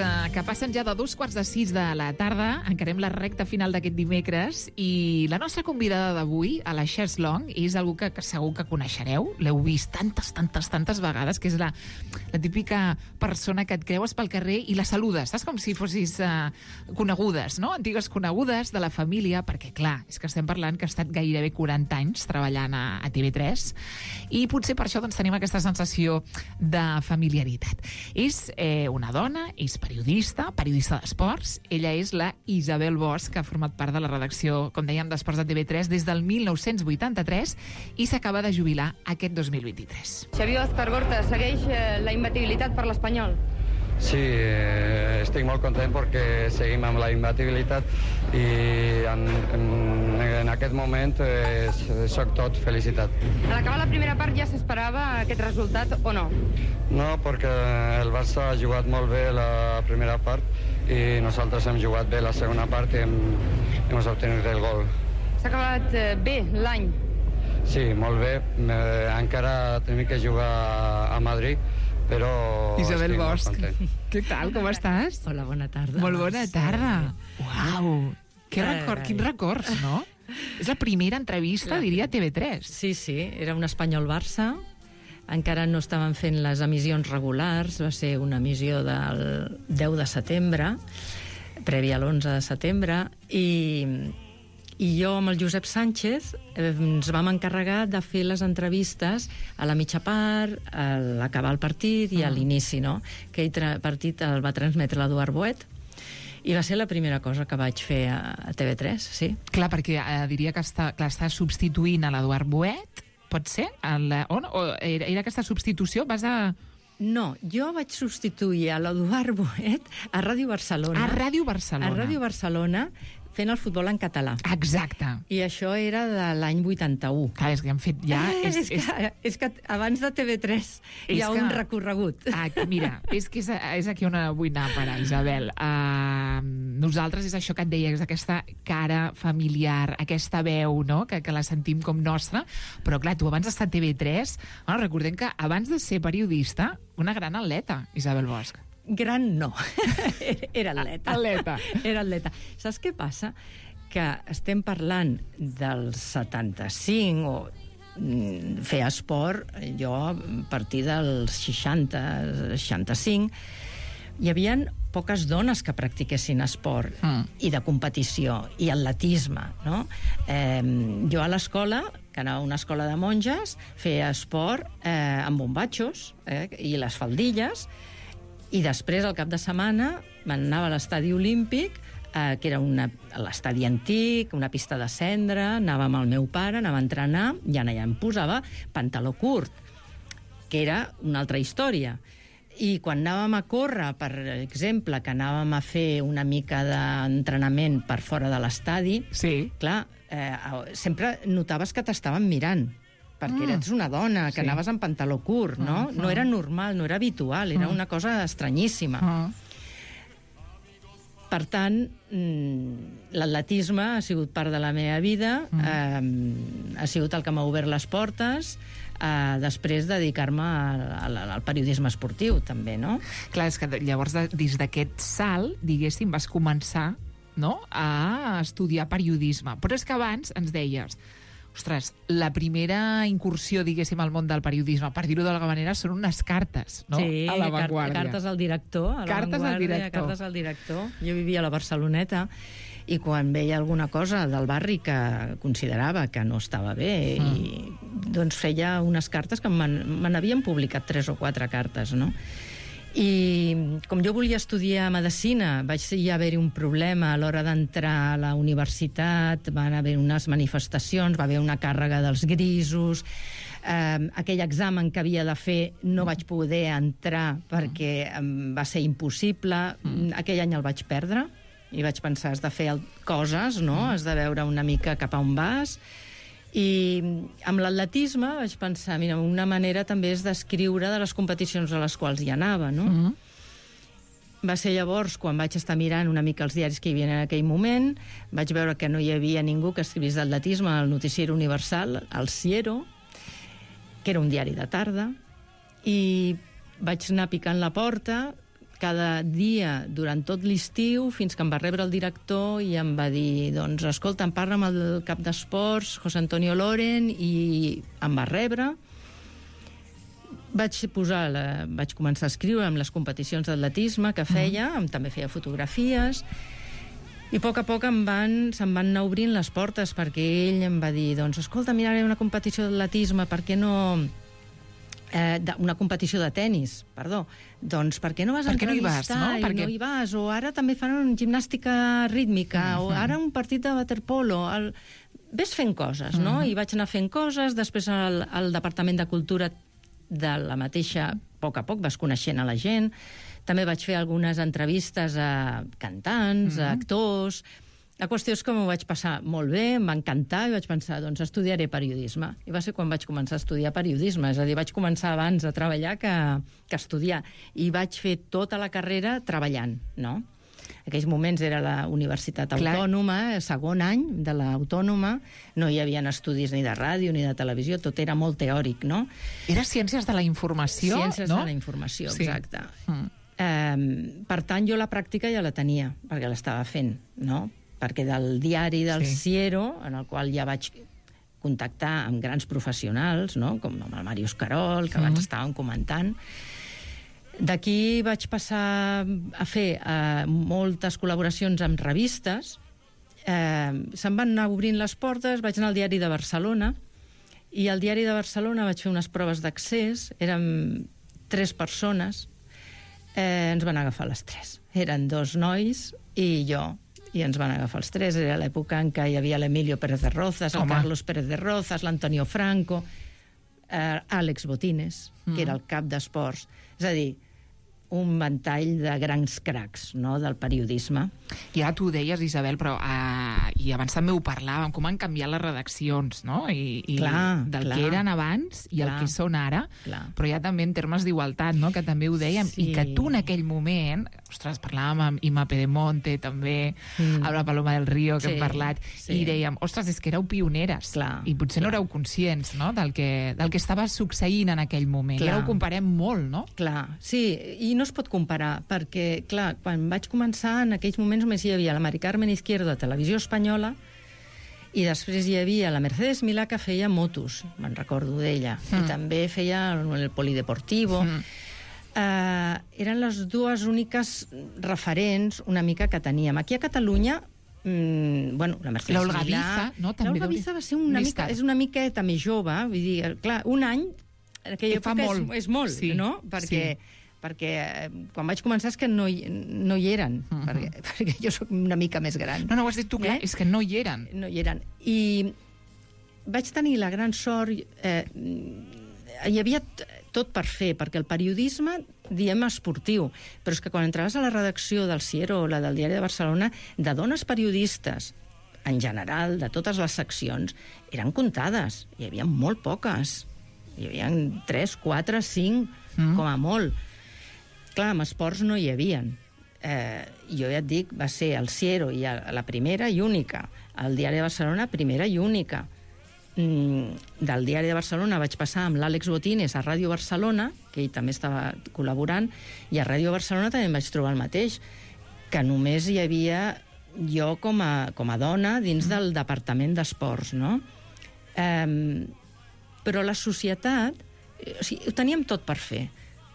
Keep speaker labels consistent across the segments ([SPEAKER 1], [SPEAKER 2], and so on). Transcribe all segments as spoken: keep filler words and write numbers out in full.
[SPEAKER 1] uh, que passen ja de dos quarts de sis de la tarda, encarem la recta final d'aquest dimecres i la nostra convidada d'avui, a la Ches Long, és algú que, que segur que coneixereu, l'heu vist tantes, tantes, tantes vegades, que és la, la típica persona que et creues pel carrer i la saludes, saps? Com si fossis uh, conegudes, no? Antigues conegudes de la família, perquè clar, és que estem parlant que ha estat gairebé quaranta anys treballant a, a T V tres i potser per això doncs, tenim aquesta sensació de familiaritat. És eh, una dona, és periodista, periodista d'esports. Ella és la Isabel Bosch, que ha format part de la redacció, com dèiem, d'Esports de T V tres des del mil nou-cents vuitanta-tres i s'acaba de jubilar aquest dos mil vint-i-tres.
[SPEAKER 2] Xavier Òscar Gorta, segueix eh, la imbatibilitat per l'Espanyol?
[SPEAKER 3] Sí, eh, estic molt content perquè seguim amb la imbatibilitat i en, en, en aquest moment eh, soc tot felicitat.
[SPEAKER 2] A l'acabar la primera part ja s'esperava aquest resultat o no?
[SPEAKER 3] No, perquè el Barça ha jugat molt bé la primera part i nosaltres hem jugat bé la segona part i hem, hem obtingut el gol.
[SPEAKER 2] S'ha acabat eh, bé l'any?
[SPEAKER 3] Sí, molt bé. Eh, encara tenim que jugar a Madrid, però
[SPEAKER 1] Isabel
[SPEAKER 3] estic
[SPEAKER 1] Bosch,
[SPEAKER 3] molt content.
[SPEAKER 1] què tal, com estàs?
[SPEAKER 4] Hola, bona tarda.
[SPEAKER 1] Molt bona tarda. Uau, que record, quins records, no? És la primera entrevista, diria, a T V tres.
[SPEAKER 4] Sí, sí, era un Espanyol-Barça. Encara no estaven fent les emissions regulars, va ser una emissió del deu de setembre, prèvia a l'onze de setembre, i, i jo amb el Josep Sánchez eh, ens vam encarregar de fer les entrevistes a la mitja part, a l'acabar el partit i a l'inici, no? Aquell tra- partit el va transmetre l'Eduard Boet, i va ser la primera cosa que vaig fer a, a T V tres, sí.
[SPEAKER 1] Clar, perquè eh, diria que està, clar, està substituint a l'Eduard Boet, pot ser? El, on? O era, era aquesta substitució? Vas a...
[SPEAKER 4] No, jo vaig substituir a l'Eduard Boet a Ràdio Barcelona.
[SPEAKER 1] A Ràdio Barcelona.
[SPEAKER 4] A Ràdio Barcelona, fent el futbol en català.
[SPEAKER 1] Exacte.
[SPEAKER 4] I això era de l'any vuitanta-u.
[SPEAKER 1] Clar, és que hem fet ja...
[SPEAKER 4] Eh,
[SPEAKER 1] és,
[SPEAKER 4] és, és, que, és que abans de T V tres hi ha
[SPEAKER 1] que...
[SPEAKER 4] un recorregut.
[SPEAKER 1] Ah, mira, és que és, és aquí on vull anar a parar, Isabel. Uh, nosaltres és això que et deia, és aquesta cara familiar, aquesta veu, no?, que, que la sentim com nostra, però clar, tu abans d'estar a T V tres, bueno, recordem que abans de ser periodista, una gran atleta, Isabel Bosch.
[SPEAKER 4] Gran no, era atleta.
[SPEAKER 1] Atleta.
[SPEAKER 4] Era atleta. Saps què passa? Que estem parlant del setanta-cinc o mm, fer esport, jo a partir dels seixanta, seixanta-cinc, hi havia poques dones que practiquessin esport mm. i de competició, i atletisme, no? Eh, jo a l'escola, que anava a una escola de monges, feia esport eh, amb bombatxos eh, i les faldilles, i després, al cap de setmana, m'anava a l'estadi olímpic, eh, que era una, l'estadi antic, una pista de cendra, anava amb el meu pare, anava a entrenar, i allà em posava pantaló curt, que era una altra història. I quan anàvem a córrer, per exemple, que anàvem a fer una mica d'entrenament per fora de l'estadi,
[SPEAKER 1] sí.
[SPEAKER 4] clar, eh, sempre notaves que t'estaven mirant, perquè eres una dona, que
[SPEAKER 1] sí.
[SPEAKER 4] anaves amb pantaló curt, no?
[SPEAKER 1] Uh -huh.
[SPEAKER 4] No era normal, no era habitual, era uh -huh. una cosa estranyíssima. Uh -huh. Per tant, l'atletisme ha sigut part de la meva vida, uh -huh. eh, ha sigut el que m'ha obert les portes, eh, després de dedicar-me al, al, al periodisme esportiu, també, no?
[SPEAKER 1] Clar, és que llavors, des d'aquest salt, diguéssim, vas començar, no?, a estudiar periodisme. Però és que abans ens deies... Ostres, la primera incursió, diguéssim, al món del periodisme, per dir-ho d'alguna manera, són unes cartes, no?,
[SPEAKER 4] sí,
[SPEAKER 1] a l'avantguàrdia.
[SPEAKER 4] Cartes al director, a
[SPEAKER 1] cartes al director.
[SPEAKER 4] Cartes al director. Jo vivia a la Barceloneta i quan veia alguna cosa del barri que considerava que no estava bé, mm. i, doncs feia unes cartes que me n'havien publicat tres o quatre cartes, no? I com jo volia estudiar medicina, vaig ja haver-hi un problema a l'hora d'entrar a la universitat, van haver unes manifestacions, va haver una càrrega dels grisos, eh, aquell examen que havia de fer no vaig poder entrar perquè em va ser impossible, mm. aquell any el vaig perdre i vaig pensar, has de fer coses, no? Has de veure una mica cap a on vas. I amb l'atletisme vaig pensar, mira, una manera també és d'escriure de les competicions a les quals hi anava, no? Mm-hmm. Va ser llavors quan vaig estar mirant una mica els diaris que hi havia en aquell moment, vaig veure que no hi havia ningú que escrivís d'atletisme al Noticiero Universal, al Ciero, que era un diari de tarda, i vaig anar picant la porta, cada dia, durant tot l'estiu, fins que em va rebre el director i em va dir, doncs, escolta, em parla amb el cap d'esports, José Antonio Loren, i em va rebre. Vaig posar, la, vaig començar a escriure amb les competicions d'atletisme que feia, mm. també feia fotografies, i a poc a poc em van, se'm van anar obrint les portes, perquè ell em va dir, doncs, escolta, mira, hi ha una competició d'atletisme, per què no... Eh, una competició de tennis, perdó, doncs per què no vas
[SPEAKER 1] per què
[SPEAKER 4] entrevistar
[SPEAKER 1] no hi vas, no?
[SPEAKER 4] i
[SPEAKER 1] Perquè...
[SPEAKER 4] no hi vas? O ara també fan una gimnàstica rítmica, mm -hmm. o ara un partit de waterpolo. El... Ves fent coses, no? Mm -hmm. I vaig anar fent coses, després al, al Departament de Cultura de la mateixa, a poc a poc vas coneixent a la gent. També vaig fer algunes entrevistes a cantants, mm -hmm. a actors. La qüestió és que m'ho vaig passar molt bé, em va encantar, i vaig pensar, doncs estudiaré periodisme. I va ser quan vaig començar a estudiar periodisme, és a dir, vaig començar abans a treballar que, que a estudiar. I vaig fer tota la carrera treballant, no? En aquells moments era la Universitat
[SPEAKER 1] Clar.
[SPEAKER 4] Autònoma, segon any de l'Autònoma, no hi havia estudis ni de ràdio ni de televisió, tot era molt teòric, no?
[SPEAKER 1] Era Ciències de la Informació,
[SPEAKER 4] Ciències
[SPEAKER 1] no?
[SPEAKER 4] de la Informació,
[SPEAKER 1] Sí.
[SPEAKER 4] exacte.
[SPEAKER 1] Mm.
[SPEAKER 4] Eh, per tant, jo la pràctica ja la tenia, perquè l'estava fent, no? Perquè del diari del
[SPEAKER 1] Sí.
[SPEAKER 4] Siero, en el qual ja vaig contactar amb grans professionals, no? Com amb el Màrius Carol, que abans mm. estàvem comentant, d'aquí vaig passar a fer eh, moltes col·laboracions amb revistes, eh, se'm van anar obrint les portes, vaig anar al Diari de Barcelona, i al Diari de Barcelona vaig fer unes proves d'accés, érem tres persones, eh, ens van agafar les tres. Eren dos nois i jo, i ens van agafar els tres. Era l'època en què hi havia l'Emilio Pérez de Rozas, el
[SPEAKER 1] Home.
[SPEAKER 4] Carlos Pérez de Rozas, l'Antonio Franco, eh, Àlex Botines, mm. que era el cap d'esports. És a dir, un ventall de grans cracs, no?, del periodisme.
[SPEAKER 1] I ara tu ho deies, Isabel, però uh, i abans també ho parlàvem, com han canviat les redaccions, no? I, i
[SPEAKER 4] Clar,
[SPEAKER 1] del
[SPEAKER 4] clar.
[SPEAKER 1] que eren abans i
[SPEAKER 4] Clar.
[SPEAKER 1] el que són ara,
[SPEAKER 4] Clar.
[SPEAKER 1] però ja també en termes d'igualtat, no?, que també ho dèiem,
[SPEAKER 4] Sí.
[SPEAKER 1] i que tu en aquell moment, ostres, parlàvem amb Ima Pedemonte, també,
[SPEAKER 4] Mm.
[SPEAKER 1] amb la Paloma del Río, que
[SPEAKER 4] Sí,
[SPEAKER 1] hem parlat,
[SPEAKER 4] sí.
[SPEAKER 1] i dèiem, ostres, és que éreu pioneres,
[SPEAKER 4] Clar,
[SPEAKER 1] i potser
[SPEAKER 4] clar.
[SPEAKER 1] no éreu conscients, no?, del que, del que estava succeint en aquell moment.
[SPEAKER 4] Clar.
[SPEAKER 1] I ara ho comparem molt, no?
[SPEAKER 4] Clar, sí, i no es pot comparar, perquè, clar, quan vaig començar, en aquells moments només hi havia la Mari Carmen Izquierdo a Televisió Espanyola, i després hi havia la Mercedes Milà, que feia motos, me'n recordo d'ella, mm. i també feia el Polideportivo. Mm. Uh, eren les dues úniques referents una mica que teníem. Aquí a Catalunya, mm, bueno, la Mercedes
[SPEAKER 1] L'Olga
[SPEAKER 4] Milà...
[SPEAKER 1] Viza, no? També
[SPEAKER 4] L'Olga
[SPEAKER 1] deu-
[SPEAKER 4] Viza va ser una
[SPEAKER 1] més
[SPEAKER 4] mica,
[SPEAKER 1] tard.
[SPEAKER 4] és una miqueta més jove, vull dir, clar, un any, en aquella
[SPEAKER 1] Que fa
[SPEAKER 4] època
[SPEAKER 1] molt.
[SPEAKER 4] és, és molt,
[SPEAKER 1] Sí,
[SPEAKER 4] no? Perquè...
[SPEAKER 1] sí.
[SPEAKER 4] perquè eh, quan vaig començar és que no hi, no hi eren, uh -huh. perquè, perquè jo sóc una mica més gran.
[SPEAKER 1] No, no, ho has dit tu, clar,
[SPEAKER 4] Eh?
[SPEAKER 1] és que no hi eren.
[SPEAKER 4] No hi eren. I vaig tenir la gran sort... Eh, hi havia t- tot per fer, perquè el periodisme, diem esportiu, però és que quan entraves a la redacció del Siero o la del Diari de Barcelona, de dones periodistes, en general, de totes les seccions, eren comptades. Hi havia molt poques. Hi havia tres, quatre, cinc, mm. com a molt. Clar, amb esports no hi havien. Eh, jo ja et dic, va ser el Siero i la primera i única. El Diari de Barcelona, primera i única. Mm, del Diari de Barcelona vaig passar amb l'Àlex Botines a Ràdio Barcelona, que ell també estava col·laborant, i a Ràdio Barcelona també em vaig trobar el mateix, que només hi havia jo com a, com a dona dins del departament d'esports, no? Eh, però la societat, o sigui, ho teníem tot per fer,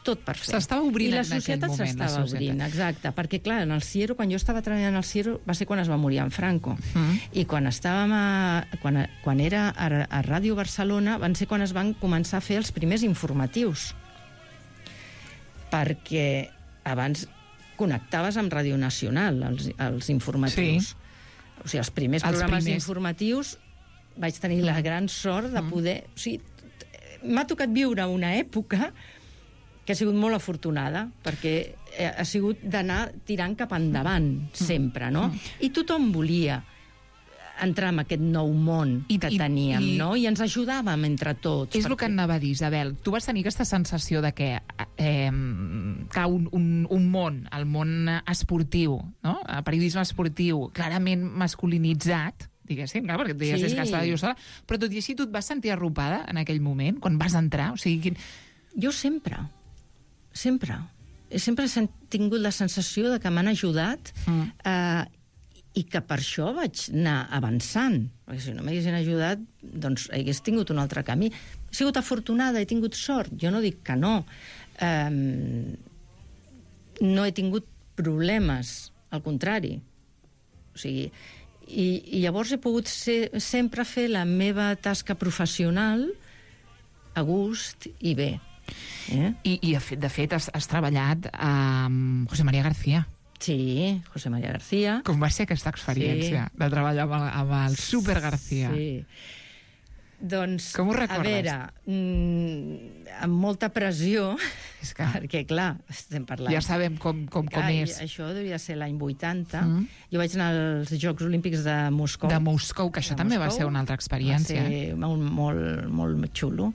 [SPEAKER 4] tot per fer.
[SPEAKER 1] S'estava obrint
[SPEAKER 4] I la
[SPEAKER 1] en aquell
[SPEAKER 4] societat
[SPEAKER 1] moment, la
[SPEAKER 4] s'estava
[SPEAKER 1] societat.
[SPEAKER 4] obrint, exacte, perquè clar, en el Siero, quan jo estava treballant al Siero, va ser quan es va morir en Franco.
[SPEAKER 1] Mm.
[SPEAKER 4] I quan estàvem a, quan, quan era a, a Ràdio Barcelona, van ser quan es van començar a fer els primers informatius. Perquè abans connectaves amb Ràdio Nacional, els, els informatius.
[SPEAKER 1] Sí.
[SPEAKER 4] O sigui, els primers
[SPEAKER 1] Els
[SPEAKER 4] programes
[SPEAKER 1] primers.
[SPEAKER 4] informatius vaig tenir la gran sort de poder... O sigui, m'ha tocat viure una època que ha sigut molt afortunada, perquè ha sigut d'anar tirant cap endavant, sempre, no? I tothom volia entrar en aquest nou món
[SPEAKER 1] I-
[SPEAKER 4] que
[SPEAKER 1] i-
[SPEAKER 4] teníem,
[SPEAKER 1] i-
[SPEAKER 4] no? I ens ajudàvem entre tots.
[SPEAKER 1] És el que anava a dir, Isabel. Tu vas tenir aquesta sensació de que eh, que un, un, un món, el món esportiu, no? El periodisme esportiu, clarament masculinitzat, diguéssim, clar, perquè et deies
[SPEAKER 4] Sí.
[SPEAKER 1] sí. que estava jo sola, però tot i així tu et vas sentir arropada en aquell moment, quan vas entrar? O sigui, quin...
[SPEAKER 4] Jo sempre, sempre. sempre he tingut la sensació de que m'han ajudat mm. eh, i que per això vaig anar avançant. Perquè si no m'haguessin ajudat, doncs hagués tingut un altre camí. He sigut afortunada, he tingut sort. Jo no dic que no. Um, no he tingut problemes, al contrari. O sigui, i, i llavors he pogut ser, sempre fer la meva tasca professional a gust i bé. Eh?
[SPEAKER 1] I, i de fet has, has treballat amb José María García.
[SPEAKER 4] Sí, José María García.
[SPEAKER 1] Com va ser aquesta experiència sí. de treballar amb el, amb el Super García?
[SPEAKER 4] Sí. Doncs,
[SPEAKER 1] com ho recordes?
[SPEAKER 4] A veure, mmm, amb molta pressió,
[SPEAKER 1] és que...
[SPEAKER 4] perquè, clar, estem parlant...
[SPEAKER 1] Ja sabem com, com, com
[SPEAKER 4] Ai,
[SPEAKER 1] és.
[SPEAKER 4] Això devia ser l'any vuitanta. Mm. Jo vaig anar als Jocs Olímpics de Moscou.
[SPEAKER 1] De Moscou, que això
[SPEAKER 4] de
[SPEAKER 1] també
[SPEAKER 4] Moscou.
[SPEAKER 1] Va ser una altra experiència.
[SPEAKER 4] Va ser molt, molt, molt xulo.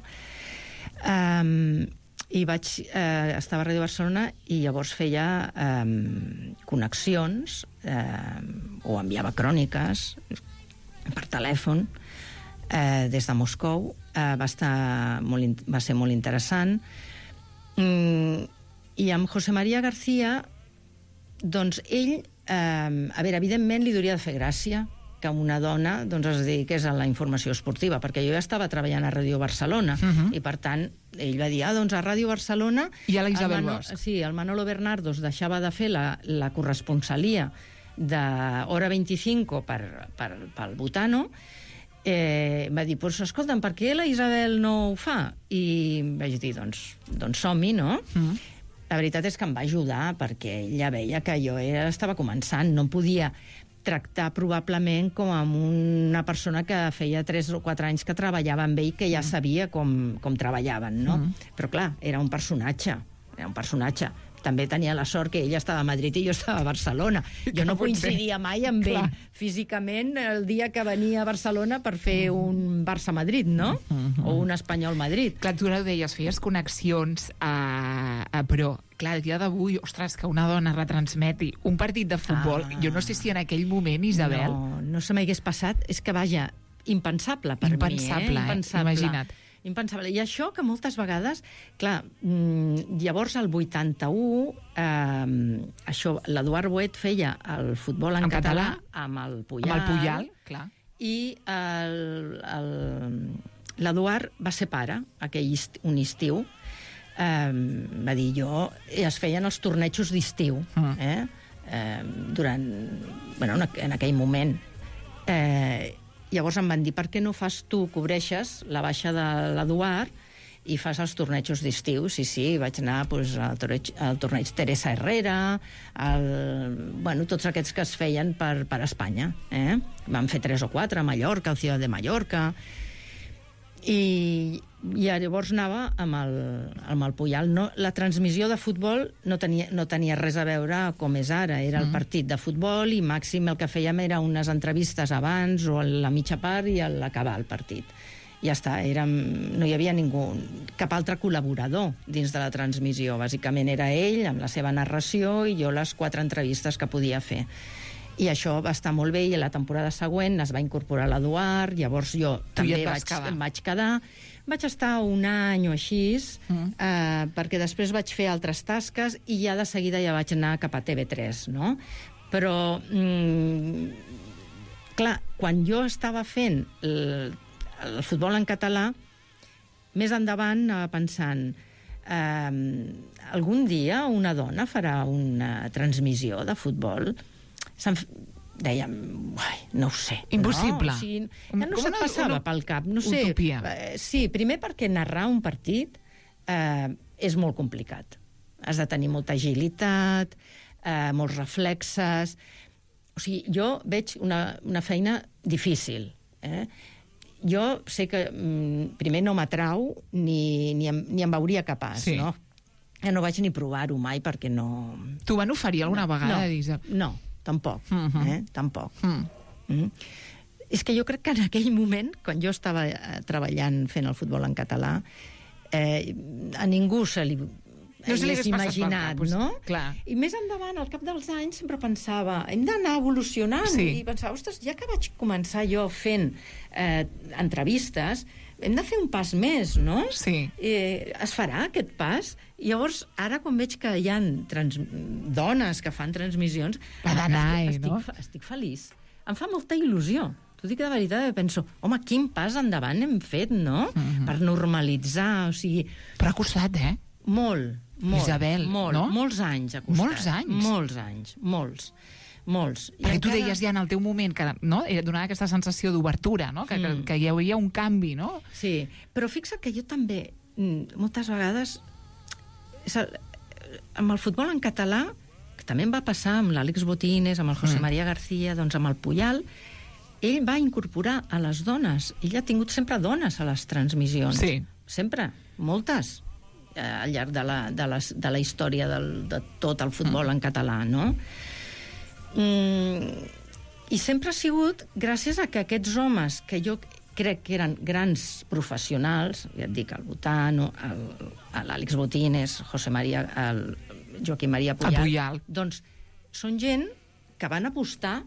[SPEAKER 4] Um, I vaig... Eh, estava a Ràdio Barcelona i llavors feia eh, connexions eh, o enviava cròniques per telèfon eh, des de Moscou. Eh, va, estar molt, va ser molt interessant. Mm, I amb José María García, doncs ell, eh, a veure, evidentment li hauria de fer gràcia que una dona doncs, es dediqués a la informació esportiva, perquè jo ja estava treballant a Ràdio Barcelona, uh -huh. i per tant ell va dir, ah, doncs a Ràdio Barcelona...
[SPEAKER 1] I a la Isabel Bosch.
[SPEAKER 4] Sí, el Manolo Bernardo deixava de fer la, la corresponsalia de Hora vint-i-cinc per, per, pel Butano, eh, va dir, pues, escolta'm, per què la Isabel no ho fa? I vaig dir, doncs, doncs som-hi, no? Uh -huh. La veritat és que em va ajudar, perquè ella veia que jo era, estava començant, no podia tractar probablement com amb una persona que feia tres o quatre anys que treballava amb ell, que ja sabia com, com treballaven, no? Mm. Però clar, era un personatge, era un personatge. També tenia la sort que ella estava a Madrid i jo estava a Barcelona. Jo no coincidia mai amb ell físicament el dia que venia a Barcelona per fer un Barça-Madrid, no? Mm-hmm. O un Espanyol-Madrid.
[SPEAKER 1] Clar, tu ho deies, feies connexions, a, a, però, clar, el dia d'avui, ostres, que una dona retransmeti un partit de futbol, ah. jo no sé si en aquell moment, Isabel...
[SPEAKER 4] No, no se m'hagués passat. És que, vaja, impensable per
[SPEAKER 1] impensable,
[SPEAKER 4] mi, eh? Impensable,
[SPEAKER 1] eh? Imagina't.
[SPEAKER 4] Impensable. I això que moltes vegades, clar, llavors el vuitanta-u, eh, això, l'Eduard Boet feia el futbol en, en català, català amb el Puyal.
[SPEAKER 1] Amb el Puyal, clar.
[SPEAKER 4] I l'Eduard va ser pare, aquell est, un estiu, eh, va dir jo, es feien els tornejos d'estiu, mm. eh? Eh, durant, bueno, en aquell moment. Eh, Llavors em van dir, per què no fas tu, cobreixes la baixa de l'Eduard i fas els tornejos d'estiu? Sí, sí, vaig anar pues, al, torneig, al torneig Teresa Herrera, al, bueno, tots aquests que es feien per, per Espanya. Eh? Vam fer tres o quatre a Mallorca, al Ciudad de Mallorca, i, i llavors anava amb el, amb el Puyal. No, la transmissió de futbol no tenia, no tenia res a veure com és ara, era el partit de futbol i màxim el que fèiem era unes entrevistes abans o a la mitja part i a l'acabar el partit. Ja està, érem, no hi havia ningú, cap altre col·laborador dins de la transmissió. Bàsicament era ell amb la seva narració i jo les quatre entrevistes que podia fer. I això va estar molt bé, i la temporada següent es va incorporar l'Eduard, llavors jo
[SPEAKER 1] tu
[SPEAKER 4] també
[SPEAKER 1] ja
[SPEAKER 4] vaig,
[SPEAKER 1] quedar.
[SPEAKER 4] em vaig quedar. Vaig estar un any o així, mm. eh, perquè després vaig fer altres tasques i ja de seguida ja vaig anar cap a T V tres, no? Però, mm, clar, quan jo estava fent el, el futbol en català, més endavant anava pensant, eh, algun dia una dona farà una transmissió de futbol? Se'm dèiem, uai, no ho sé.
[SPEAKER 1] Impossible.
[SPEAKER 4] No? O sigui, ja no se't passava pel cap. No sé.
[SPEAKER 1] Utopia.
[SPEAKER 4] Eh, sí, primer perquè narrar un partit eh, és molt complicat. Has de tenir molta agilitat, eh, molts reflexes... O sigui, jo veig una, una feina difícil. Eh? Jo sé que mm, primer no m'atrau ni, ni, em, ni em veuria capaç, sí. no? Ja no vaig ni provar-ho mai perquè no...
[SPEAKER 1] T'ho van oferir alguna
[SPEAKER 4] no,
[SPEAKER 1] vegada?
[SPEAKER 4] No, no. Tampoc, uh-huh. eh? Tampoc. Mm. Mm. És que jo crec que en aquell moment, quan jo estava eh, treballant fent el futbol en català, eh, a ningú se li
[SPEAKER 1] no se li hagués passat
[SPEAKER 4] imaginat,
[SPEAKER 1] pel cap,
[SPEAKER 4] no?
[SPEAKER 1] Clar.
[SPEAKER 4] I més endavant, al cap dels anys, sempre pensava, hem d'anar evolucionant,
[SPEAKER 1] Sí.
[SPEAKER 4] i pensava, ostres, ja que vaig començar jo fent eh, entrevistes, hem de fer un pas més, no?
[SPEAKER 1] Sí.
[SPEAKER 4] Eh, es farà aquest pas? I llavors, ara quan veig que hi ha trans... dones que fan transmissions,
[SPEAKER 1] Va d'anar,
[SPEAKER 4] estic,
[SPEAKER 1] eh, no?
[SPEAKER 4] estic, estic feliç. Em fa molta il·lusió. T'ho dic de veritat, penso, home, quin pas endavant hem fet, no?
[SPEAKER 1] Mhm.
[SPEAKER 4] Per normalitzar, o sigui...
[SPEAKER 1] Però ha costat, eh?
[SPEAKER 4] Molt, molt.
[SPEAKER 1] Isabel,
[SPEAKER 4] molt,
[SPEAKER 1] no?
[SPEAKER 4] Molts anys ha costat.
[SPEAKER 1] Molts anys?
[SPEAKER 4] Molts anys, molts. Molts. I
[SPEAKER 1] Perquè tu
[SPEAKER 4] encara-
[SPEAKER 1] deies ja en el teu moment que no? Era donar aquesta sensació d'obertura, no? Que,
[SPEAKER 4] Mm.
[SPEAKER 1] que, que hi havia un canvi, no?
[SPEAKER 4] Sí, però fixa't que jo també, mm, moltes vegades, és el, amb el futbol en català, que també em va passar amb l'Àlex Botines, amb el José
[SPEAKER 1] Mm.
[SPEAKER 4] María García, doncs amb el Puyal, ell va incorporar a les dones. Ell ha tingut sempre dones a les transmissions.
[SPEAKER 1] Sí.
[SPEAKER 4] Sempre, moltes, eh, al llarg de la, de la, de la història del, de tot el futbol
[SPEAKER 1] Mm.
[SPEAKER 4] en català, no? Mm, I sempre ha sigut gràcies a que aquests homes, que jo crec que eren grans professionals, ja et dic, el Botano, el- l'Àlex Botines, José María, el Joaquim Maria Puyal,
[SPEAKER 1] El Puyal.
[SPEAKER 4] doncs són gent que van apostar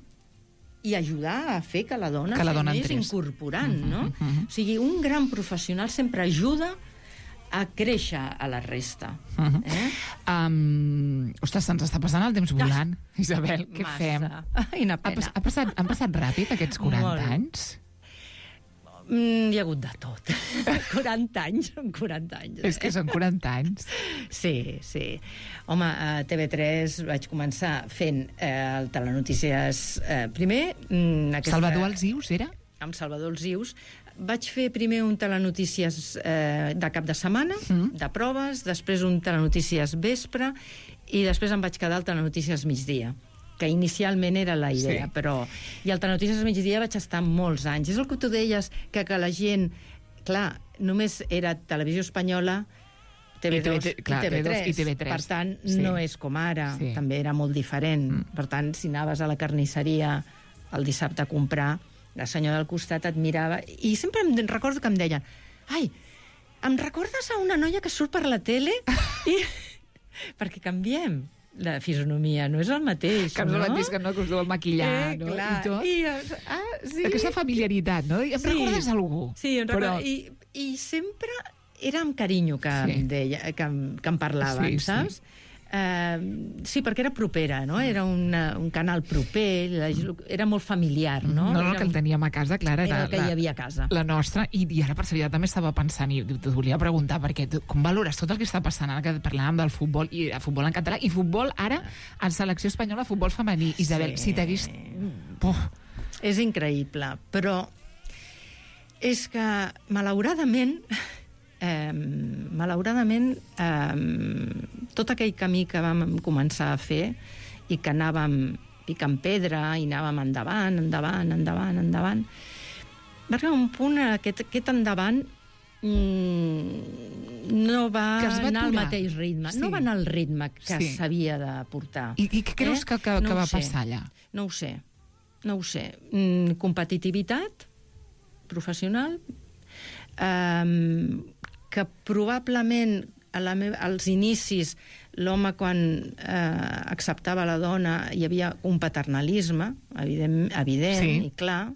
[SPEAKER 4] i ajudar a fer que la dona
[SPEAKER 1] Que la dona
[SPEAKER 4] s'anés
[SPEAKER 1] entrés.
[SPEAKER 4] incorporant,
[SPEAKER 1] Mhm,
[SPEAKER 4] no?
[SPEAKER 1] mhm.
[SPEAKER 4] O sigui, un gran professional sempre ajuda a créixer a la resta.
[SPEAKER 1] Uh -huh.
[SPEAKER 4] Eh?
[SPEAKER 1] um, ostres, se'ns està passant el temps volant. Isabel, què
[SPEAKER 4] Massa.
[SPEAKER 1] fem?
[SPEAKER 4] Ai, una
[SPEAKER 1] Ha,
[SPEAKER 4] pena.
[SPEAKER 1] pas, ha passat, han passat ràpid aquests quaranta
[SPEAKER 4] Molt.
[SPEAKER 1] anys?
[SPEAKER 4] Mm, hi ha hagut de tot. quaranta anys, són quaranta anys.
[SPEAKER 1] És que són quaranta anys.
[SPEAKER 4] Sí, sí. Home, a T V tres vaig començar fent eh, el Telenotícies... Eh, primer... Mm, aquesta...
[SPEAKER 1] Salvador Alzius, era?
[SPEAKER 4] Amb Salvador Alzius. Vaig fer primer un Telenotícies eh, de cap de setmana,
[SPEAKER 1] Mm.
[SPEAKER 4] de proves, després un Telenotícies vespre, i després em vaig quedar al Telenotícies migdia, que inicialment era la idea,
[SPEAKER 1] Sí.
[SPEAKER 4] però... I al Telenotícies migdia vaig estar molts anys. És el que tu deies, que, que la gent... Clar, només era Televisió Espanyola, T V dos
[SPEAKER 1] I
[SPEAKER 4] i,
[SPEAKER 1] TV, clar,
[SPEAKER 4] T V tres.
[SPEAKER 1] T V dos i T V tres.
[SPEAKER 4] Per tant,
[SPEAKER 1] Sí.
[SPEAKER 4] no és com ara.
[SPEAKER 1] Sí.
[SPEAKER 4] També era molt diferent.
[SPEAKER 1] Mm.
[SPEAKER 4] Per tant, si anaves a la carnisseria el dissabte a comprar, la senyora del costat et mirava, i sempre em recordo que em deien, ai, em recordes a una noia que surt per la tele? I... perquè canviem la fisonomia, no és el mateix,
[SPEAKER 1] Que no
[SPEAKER 4] no?
[SPEAKER 1] és el mateix que no, que us deu maquillar,
[SPEAKER 4] eh,
[SPEAKER 1] no?
[SPEAKER 4] clar.
[SPEAKER 1] I tot.
[SPEAKER 4] I, ah, sí.
[SPEAKER 1] Aquesta familiaritat, no? Em
[SPEAKER 4] Sí.
[SPEAKER 1] recordes algú?
[SPEAKER 4] Sí, em
[SPEAKER 1] Però...
[SPEAKER 4] recordo. I, I sempre era amb carinyo que,
[SPEAKER 1] Sí.
[SPEAKER 4] em, deia, que, em, que em parlaven,
[SPEAKER 1] Sí, sí.
[SPEAKER 4] saps? Uh, sí, perquè era propera, no? Era una, un canal proper, la, era molt familiar, no?
[SPEAKER 1] No, no,
[SPEAKER 4] era,
[SPEAKER 1] que el teníem a casa, clar, era,
[SPEAKER 4] era el que
[SPEAKER 1] la,
[SPEAKER 4] hi havia a casa.
[SPEAKER 1] la nostra, i, i ara per seritat també estava pensant, i t'ho volia preguntar, perquè tu, com valores tot el que està passant ara que parlàvem del futbol, i el futbol en català, i futbol ara en selecció espanyola, futbol femení. Isabel,
[SPEAKER 4] Sí.
[SPEAKER 1] si t'hagués... Puf,
[SPEAKER 4] És increïble, però és que, malauradament, eh, malauradament, eh, tot aquell camí que vam començar a fer i que anàvem picant pedra i anàvem endavant, endavant, endavant, endavant, va arribar un punt, aquest, aquest endavant mm, no va,
[SPEAKER 1] Que es va
[SPEAKER 4] anar al
[SPEAKER 1] aturar.
[SPEAKER 4] mateix ritme.
[SPEAKER 1] Sí.
[SPEAKER 4] No va anar al ritme que
[SPEAKER 1] Sí.
[SPEAKER 4] s'havia de portar.
[SPEAKER 1] I, i què creus
[SPEAKER 4] Eh?
[SPEAKER 1] que, que,
[SPEAKER 4] No
[SPEAKER 1] que
[SPEAKER 4] ho
[SPEAKER 1] va
[SPEAKER 4] sé.
[SPEAKER 1] passar allà?
[SPEAKER 4] No ho sé, no ho sé. Mm, competitivitat professional, um, que probablement a la meva, als inicis l'home quan eh, acceptava la dona hi havia un paternalisme evident, evident
[SPEAKER 1] Sí.
[SPEAKER 4] i clar,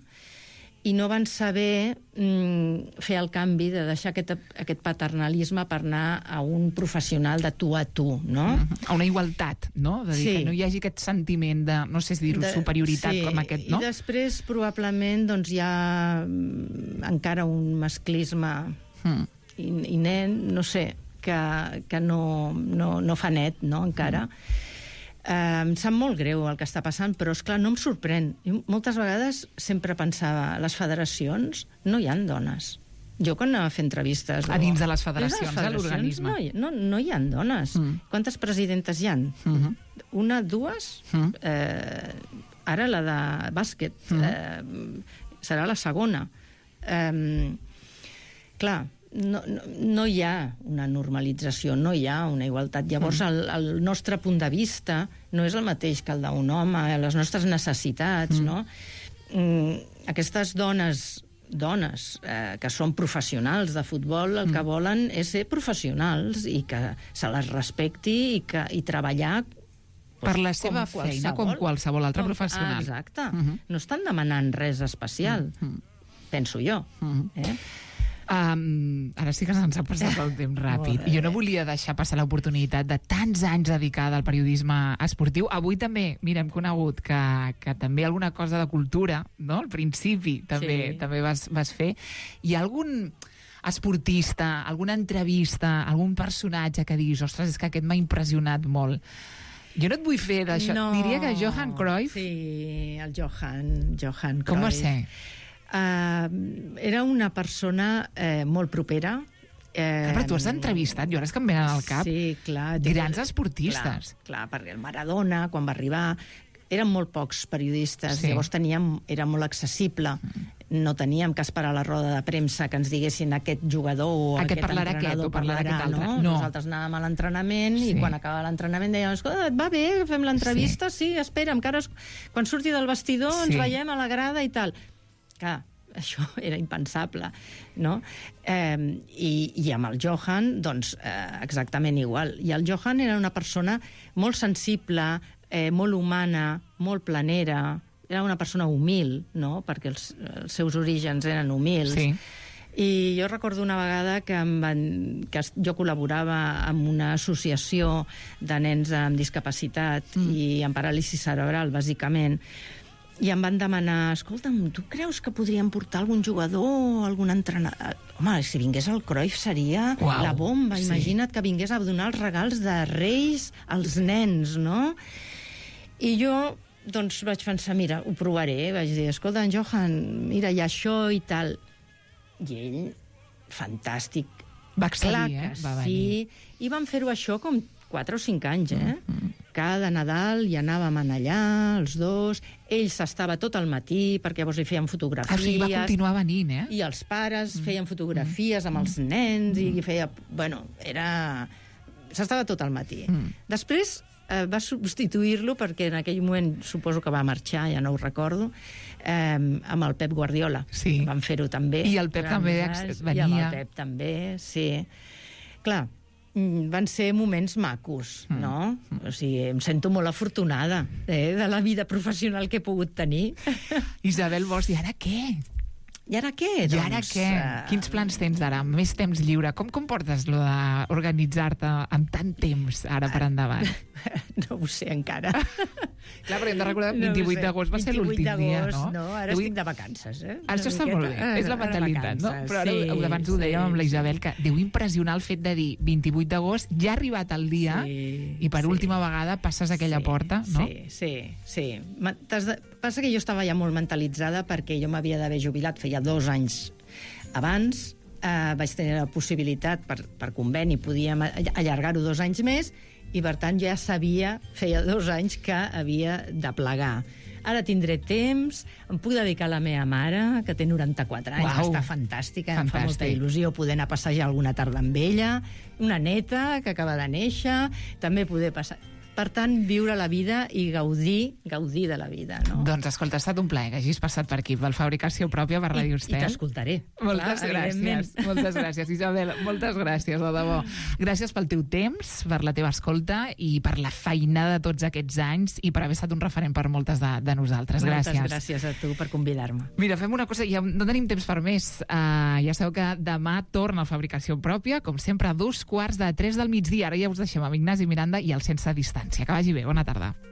[SPEAKER 4] i no van saber mm, fer el canvi de deixar aquest, aquest paternalisme per anar a un professional de tu a tu, no?
[SPEAKER 1] A una igualtat, no? De dir
[SPEAKER 4] Sí.
[SPEAKER 1] que no hi hagi aquest sentiment de, no sé si dir-ho,
[SPEAKER 4] De-
[SPEAKER 1] superioritat
[SPEAKER 4] sí,
[SPEAKER 1] com aquest, no?
[SPEAKER 4] I després, probablement, doncs, hi ha mm, encara un masclisme
[SPEAKER 1] Mm.
[SPEAKER 4] i, i nen, no sé, que, que no, no, no fa net, no, encara. Mm. Eh, em sap molt greu el que està passant, però, és clar no em sorprèn. Jo moltes vegades sempre pensava, a les federacions no hi ha dones. Jo quan anava a fer entrevistes...
[SPEAKER 1] A
[SPEAKER 4] o-
[SPEAKER 1] dins de les
[SPEAKER 4] dins
[SPEAKER 1] federacions, de l'organisme.
[SPEAKER 4] No, hi- no, no hi ha dones.
[SPEAKER 1] Mm.
[SPEAKER 4] Quantes presidentes hi ha?
[SPEAKER 1] Mhm.
[SPEAKER 4] Una, dues?
[SPEAKER 1] Mm.
[SPEAKER 4] Eh, ara la de bàsquet
[SPEAKER 1] Mm.
[SPEAKER 4] eh, serà la segona. Eh, clar, no, no, no hi ha una normalització, no hi ha una igualtat. Llavors, el, el nostre punt de vista no és el mateix que el d'un home, les nostres necessitats,
[SPEAKER 1] Mm.
[SPEAKER 4] no? Mm, aquestes dones dones eh, que són professionals de futbol, el que volen és ser professionals i que se les respecti i, que, i treballar
[SPEAKER 1] per la seva feina, com qualsevol altre
[SPEAKER 4] com,
[SPEAKER 1] professional.
[SPEAKER 4] Ah, exacte.
[SPEAKER 1] Uh -huh.
[SPEAKER 4] No estan demanant res especial, uh -huh. penso jo. Uh -huh. eh?
[SPEAKER 1] Um, ara sí que se'ns ha passat el temps ràpid. Jo no volia deixar passar l'oportunitat de tants anys dedicada al periodisme esportiu. Avui també, mira, hem conegut que, que també alguna cosa de cultura, no? Al principi també,
[SPEAKER 4] sí.
[SPEAKER 1] també vas, vas fer. Hi ha algun esportista, alguna entrevista, algun personatge que diguis, ostres, és que aquest m'ha impressionat molt? Jo no et vull fer d'això.
[SPEAKER 4] No.
[SPEAKER 1] Diria que Johan Cruyff...
[SPEAKER 4] Sí, el Johan, Johan Cruyff.
[SPEAKER 1] Com va ser?
[SPEAKER 4] Uh, era una persona eh, molt propera. Eh,
[SPEAKER 1] Però tu has entrevistat, jo ara és que em venen al cap,
[SPEAKER 4] sí, clar,
[SPEAKER 1] grans esportistes.
[SPEAKER 4] Clar, clar, perquè el Maradona, quan va arribar, eren molt pocs periodistes,
[SPEAKER 1] Sí.
[SPEAKER 4] llavors teníem, era molt accessible. No teníem que esperar la roda de premsa que ens diguessin aquest jugador o
[SPEAKER 1] Aquest
[SPEAKER 4] aquest
[SPEAKER 1] parlarà
[SPEAKER 4] entrenador
[SPEAKER 1] aquest o parlarà aquest altre.
[SPEAKER 4] no?
[SPEAKER 1] No.
[SPEAKER 4] Nosaltres anàvem a l'entrenament
[SPEAKER 1] Sí.
[SPEAKER 4] i quan acabava l'entrenament dèiem, escolta, et va bé, fem l'entrevista? Sí. sí, espera, encara es... quan surti del vestidor
[SPEAKER 1] Sí.
[SPEAKER 4] ens veiem a la grada i tal. Clar, això era impensable, no? Eh, i, I amb el Johan, doncs, eh, exactament igual. I el Johan era una persona molt sensible, eh, molt humana, molt planera, era una persona humil, no?, perquè els, els seus orígens eren humils.
[SPEAKER 1] Sí.
[SPEAKER 4] I jo recordo una vegada que, em van, que jo col·laborava amb una associació de nens amb discapacitat mm. i amb paràlisi cerebral, bàsicament, i em van demanar, escolta'm, tu creus que podríem portar algun jugador, algun entrenador? Home, si vingués el Cruyff seria
[SPEAKER 1] Uau,
[SPEAKER 4] la bomba.
[SPEAKER 1] sí. Imagina't
[SPEAKER 4] Imagina't que vingués a donar els regals de Reis als nens, no? I jo, doncs, vaig pensar, mira, ho provaré. Vaig dir, escolta, en Johan, mira, hi ha això i tal. I ell, fantàstic.
[SPEAKER 1] Va excedir,
[SPEAKER 4] Clar
[SPEAKER 1] eh?
[SPEAKER 4] que
[SPEAKER 1] Va venir.
[SPEAKER 4] sí. I vam fer-ho això com quatre o cinc anys, eh? Mm-hmm. Cada Nadal hi anàvem allà, els dos. Ell s'estava tot el matí, perquè llavors li feien fotografies.
[SPEAKER 1] Ah, o sigui, va continuar venint, eh?
[SPEAKER 4] I els pares feien fotografies amb els nens i feia... Bueno, era... S'estava tot el matí.
[SPEAKER 1] Mm.
[SPEAKER 4] Després eh, va substituir-lo, perquè en aquell moment suposo que va marxar, ja no ho recordo, eh, amb el Pep Guardiola.
[SPEAKER 1] Sí.
[SPEAKER 4] Van fer-ho també.
[SPEAKER 1] I el Pep
[SPEAKER 4] durant
[SPEAKER 1] també
[SPEAKER 4] uns
[SPEAKER 1] ex-
[SPEAKER 4] anys,
[SPEAKER 1] venia.
[SPEAKER 4] I amb el Pep també, sí. Clar, mm, van ser moments macos,
[SPEAKER 1] Mm.
[SPEAKER 4] no? O sigui, em sento molt afortunada eh, de la vida professional que he pogut tenir.
[SPEAKER 1] Isabel Bosch, i ara què?
[SPEAKER 4] I ara què?
[SPEAKER 1] I ara què?
[SPEAKER 4] eh,
[SPEAKER 1] Quins plans tens ara? Més temps lliure? Com, com portes lo d'organitzar-te amb tant temps ara per endavant?
[SPEAKER 4] No ho sé encara.
[SPEAKER 1] Clar, però hem de recordar que
[SPEAKER 4] No ho
[SPEAKER 1] vint-i-vuit
[SPEAKER 4] sé.
[SPEAKER 1] d'agost va ser l'últim dia, no?
[SPEAKER 4] no? Ara
[SPEAKER 1] Avui-
[SPEAKER 4] estic de vacances, eh?
[SPEAKER 1] Això
[SPEAKER 4] Una
[SPEAKER 1] està molt bé,
[SPEAKER 4] miqueta.
[SPEAKER 1] és la
[SPEAKER 4] Ara
[SPEAKER 1] mentalitat, no?
[SPEAKER 4] vacances,
[SPEAKER 1] Però ara,
[SPEAKER 4] sí,
[SPEAKER 1] abans ho dèiem amb la
[SPEAKER 4] sí,
[SPEAKER 1] Isabel, que deu impressionar el fet de dir vint-i-vuit d'agost, ja ha arribat el dia,
[SPEAKER 4] Sí,
[SPEAKER 1] i per
[SPEAKER 4] sí.
[SPEAKER 1] última vegada passes aquella
[SPEAKER 4] Sí,
[SPEAKER 1] porta, no?
[SPEAKER 4] Sí, sí, sí. Ma- t'has de... Passa que jo estava ja molt mentalitzada perquè jo m'havia d'haver jubilat, feia dos anys abans, eh, vaig tenir la possibilitat, per, per conveni, podíem a- allargar-ho dos anys més, i per tant ja sabia, feia dos anys que havia de plegar. Ara tindré temps, em puc dedicar a la meva mare, que té noranta-quatre anys,
[SPEAKER 1] Uau.
[SPEAKER 4] està fantàstica, em fa molta
[SPEAKER 1] Fantàstic.
[SPEAKER 4] il·lusió poder anar a passejar alguna tarda amb ella, una neta que acaba de néixer, també poder passar... Per tant, viure la vida i gaudir, gaudir de la vida, no?
[SPEAKER 1] Doncs escolta, ha estat un plaer que hagis passat per aquí, per Fabricació Pròpia, per
[SPEAKER 4] I,
[SPEAKER 1] Ràdio
[SPEAKER 4] i
[SPEAKER 1] Estel.
[SPEAKER 4] t'escoltaré.
[SPEAKER 1] Moltes
[SPEAKER 4] Clar, evidentment.
[SPEAKER 1] gràcies, moltes gràcies, Isabel, moltes gràcies, de debò. Gràcies pel teu temps, per la teva escolta i per la feinada de tots aquests anys i per haver estat un referent per moltes de, de nosaltres. Gràcies.
[SPEAKER 4] Moltes gràcies a tu per convidar-me.
[SPEAKER 1] Mira, fem una cosa, ja no tenim temps per més. Uh, ja sabeu que demà torna a Fabricació Pròpia, com sempre, a dos quarts de tres del migdia. Ara ja us deixem amb Ignasi Miranda i el Sense Distància. Que vagi bé, bona tarda.